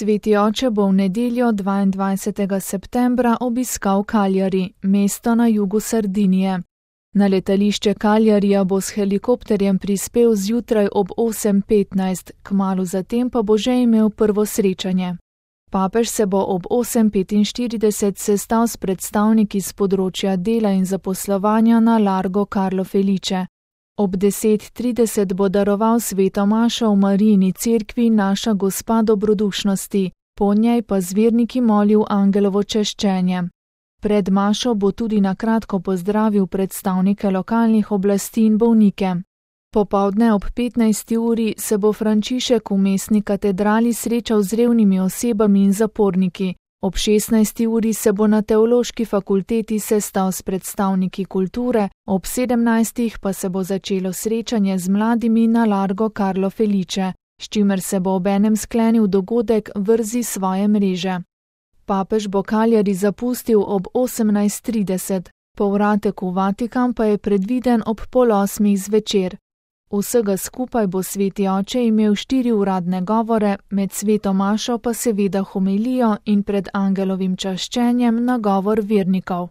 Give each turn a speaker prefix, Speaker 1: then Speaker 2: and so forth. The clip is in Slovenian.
Speaker 1: Sveti oče bo v nedeljo 22. septembra obiskal Cagliari, mesto na jugu Sardinije. Na letališče Cagliarija bo s helikopterjem prispel zjutraj ob 8:15, kmalu zatem pa bo že imel prvo srečanje. Papež se bo ob 8:45 sestal s predstavniki z področja dela in zaposlovanja na Largo Carlo Felice. Ob 10:30 bo daroval sveto mašo v Marijini cerkvi Naša Gospa dobrodušnosti, po njej pa z verniki molil angelovo češčenje. Pred mašo bo tudi na kratko pozdravil predstavnike lokalnih oblasti in bolnike. Popoldne ob 15. uri se bo Frančišek v mestni katedrali srečal z revnimi osebami in zaporniki. Ob 16. uri se bo na Teološki fakulteti sestal s predstavniki kulture, ob 17. pa se bo začelo srečanje z mladimi na Largo Carlo Felice, s čimer se bo obenem sklenil dogodek Vrzi svoje mreže. Papež bo Cagliari zapustil ob 18:30, povratek v Vatikan pa je predviden ob 7:30 zvečer. Vsega skupaj bo sveti oče imel 4 uradne govore, med sveto mašo pa seveda homilijo in pred angelovim čaščenjem nagovor vernikov.